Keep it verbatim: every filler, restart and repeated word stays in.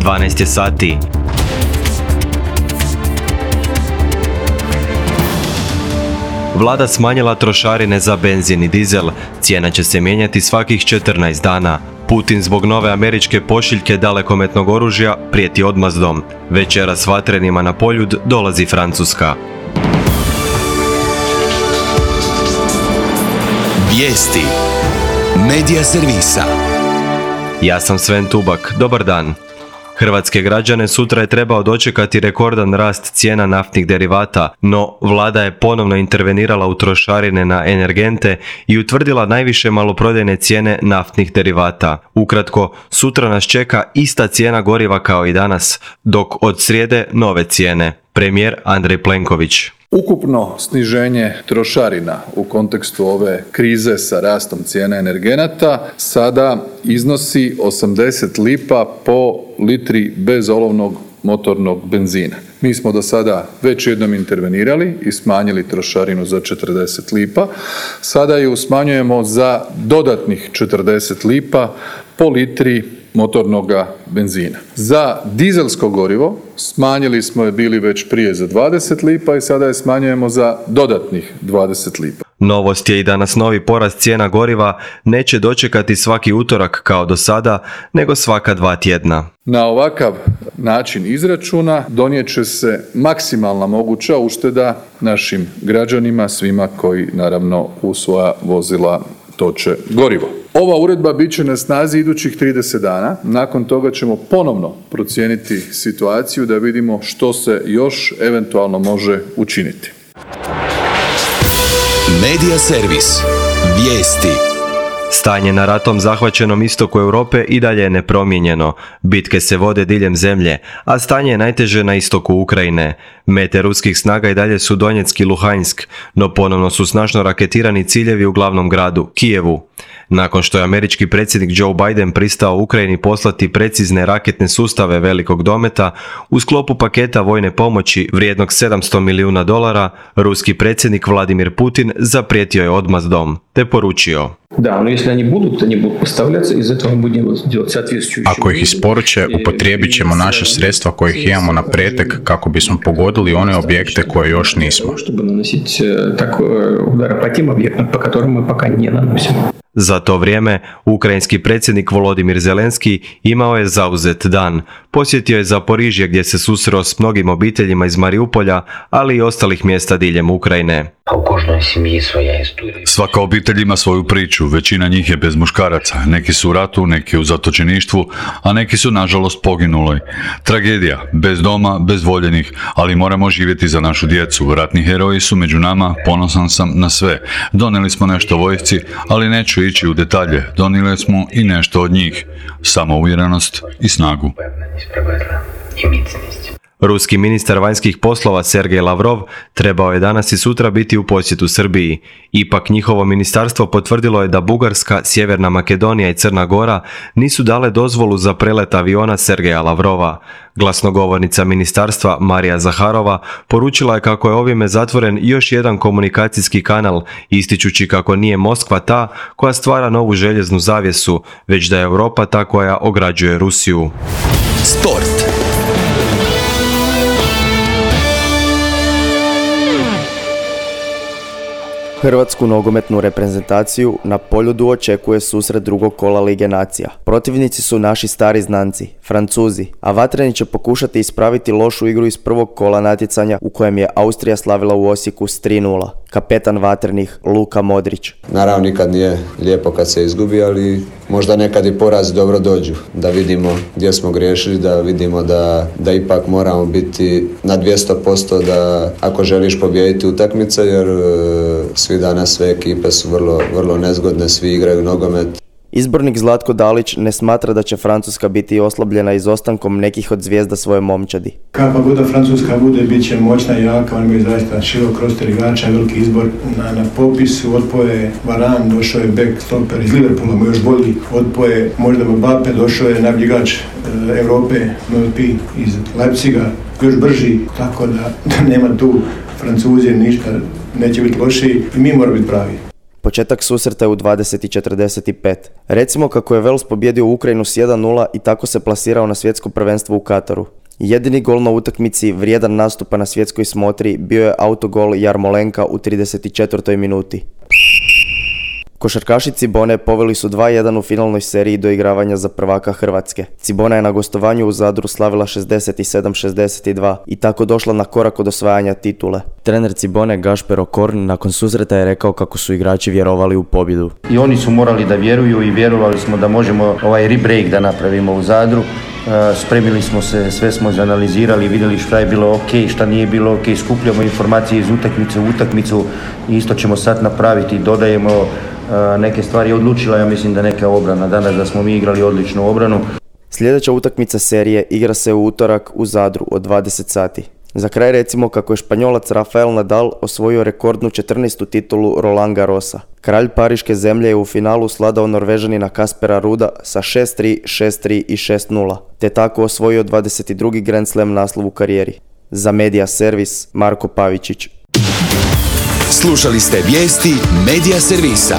dvanaest je sati. Vlada smanjila trošarine za benzin i dizel. Cijena će se mijenjati svakih četrnaest dana. Putin zbog nove američke pošiljke dalekometnog oružja prijeti odmazdom. Večera s vatrenima na Poljud dolazi Francuska. Vijesti Medija servisa. Ja sam Sven Tubak. Dobar dan. Hrvatske građane sutra je trebao dočekati rekordan rast cijena naftnih derivata, no vlada je ponovno intervenirala u trošarine na energente i utvrdila najviše maloprodajne cijene naftnih derivata. Ukratko, sutra nas čeka ista cijena goriva kao i danas, dok od srijede nove cijene. Premijer Andrej Plenković. Ukupno sniženje trošarina u kontekstu ove krize sa rastom cijena energenata sada iznosi osamdeset lipa po litri bezolovnog motornog benzina. Mi smo do sada već jednom intervenirali i smanjili trošarinu za četrdeset lipa. Sada ju smanjujemo za dodatnih četrdeset lipa po litri motornog benzina. Za dizelsko gorivo smanjili smo je bili već prije za dvadeset lipa i sada je smanjujemo za dodatnih dvadeset lipa. Novost je i da nas novi porast cijena goriva neće dočekati svaki utorak kao do sada, nego svaka dva tjedna. Na ovakav način izračuna donijet će se maksimalna moguća ušteda našim građanima, svima koji naravno u svoja vozila toče gorivo. Ova uredba bit će na snazi idućih trideset dana. Nakon toga ćemo ponovno procijeniti situaciju da vidimo što se još eventualno može učiniti. Medija servis. Vijesti. Stanje na ratom zahvaćenom istoku Europe i dalje je nepromijenjeno. Bitke se vode diljem zemlje, a stanje je najteže na istoku Ukrajine. Mete ruskih snaga i dalje su Donjeck i Luhansk, no ponovno su snažno raketirani ciljevi u glavnom gradu, Kijevu. Nakon što je američki predsjednik Joe Biden pristao Ukrajini poslati precizne raketne sustave velikog dometa, u sklopu paketa vojne pomoći vrijednog sedamsto milijuna dolara, ruski predsjednik Vladimir Putin zaprijetio je odmazdom, te poručio: Da, no если они будут, они будут поставляться, из этого мы будем делать соответствующие. Ako ih isporuče, upotrijebit ćemo naša sredstva kojih imamo na pretek kako bismo pogodili one objekte koje još nismo. Чтобы наносить так удары по тем объектам, по которым мы пока не наносим. Za to vrijeme, ukrajinski predsjednik Volodimir Zelenski imao je zauzet dan. Posjetio je Zaporižje gdje se susreo s mnogim obiteljima iz Mariupolja, ali i ostalih mjesta diljem Ukrajine. Svaka obitelj ima svoju priču, većina njih je bez muškaraca, neki su u ratu, neki u zatočeništvu, a neki su nažalost poginuli. Tragedija, bez doma, bez voljenih, ali moramo živjeti za našu djecu. Ratni heroji su među nama, ponosan sam na sve. Donijeli smo nešto vojsci, ali neću ići u detalje, donijeli smo i nešto od njih, samouvjerenost i snagu. Ruski ministar vanjskih poslova Sergej Lavrov trebao je danas i sutra biti u posjetu Srbiji. Ipak njihovo ministarstvo potvrdilo je da Bugarska, Sjeverna Makedonija i Crna Gora nisu dale dozvolu za prelet aviona Sergeja Lavrova. Glasnogovornica ministarstva Marija Zaharova poručila je kako je ovime zatvoren još jedan komunikacijski kanal, ističući kako nije Moskva ta koja stvara novu željeznu zavjesu, već da je Europa ta koja ograđuje Rusiju. Sport. Hrvatsku nogometnu reprezentaciju na Poljudu očekuje susret drugog kola Lige nacija. Protivnici su naši stari znanci, Francuzi, a vatreni će pokušati ispraviti lošu igru iz prvog kola natjecanja u kojem je Austrija slavila u Osijeku s tri nula. Kapetan vatrenih Luka Modrić. Naravno nikad nije lijepo kad se izgubi, ali možda nekad i porazi dobro dođu. Da vidimo gdje smo griješili, da vidimo da, da ipak moramo biti na dvjesto posto da ako želiš pobijediti utakmice, jer svi danas sve ekipe su vrlo, vrlo nezgodne, svi igraju nogomet. Izbornik Zlatko Dalić ne smatra da će Francuska biti oslabljena izostankom nekih od zvijezda svoje momčadi. Kakva god da Francuska bude, bit će moćna i jaka, oni imaju zaista širok roster igrača, veliki izbor na, na popisu. Otpoje Varan, došao je back stopper iz Liverpoola, još bolji. Otpoje možda Mbappe, došao je najbolji igrač e, Europe, M V P iz Leipziga, još brži, tako da, da nema tu Francuzi ništa, neće biti loši i mi moramo biti pravi. Početak susreta je u dvadeset četrdeset pet. Recimo kako je Wales pobjedio Ukrajinu s jedan nula i tako se plasirao na svjetsko prvenstvo u Kataru. Jedini gol na utakmici vrijedan nastupa na svjetskoj smotri bio je autogol Jarmolenka u trideset četvrtoj minuti. Košarkaši Cibone poveli su dva jedan u finalnoj seriji doigravanja za prvaka Hrvatske. Cibona je na gostovanju u Zadru slavila šezdeset sedam šezdeset dva i tako došla na korak od osvajanja titule. Trener Cibone Gašper Okorn nakon susreta je rekao kako su igrači vjerovali u pobjedu. I oni su morali da vjeruju i vjerovali smo da možemo ovaj rebreak da napravimo u Zadru. Spremili smo se, sve smo izanalizirali, vidjeli šta je bilo ok, šta nije bilo ok, skupljamo informacije iz utakmice u utakmicu i isto ćemo sad napraviti, dodajemo neke stvari. Odlučila, ja mislim da neka obrana danas, da smo mi igrali odličnu obranu. Sljedeća utakmica serije igra se u utorak u Zadru od dvadeset sati. Za kraj recimo kako je Španjolac Rafael Nadal osvojio rekordnu četrnaestu titulu Roland Garrosa. Kralj Pariške zemlje je u finalu sladao Norvežanina Kaspera Ruda sa šest tri, šest tri i šest nula, te tako osvojio dvadeset drugi Grand Slam naslov u karijeri. Za Media Servis, Marko Pavičić. Slušali ste vijesti Media Servisa.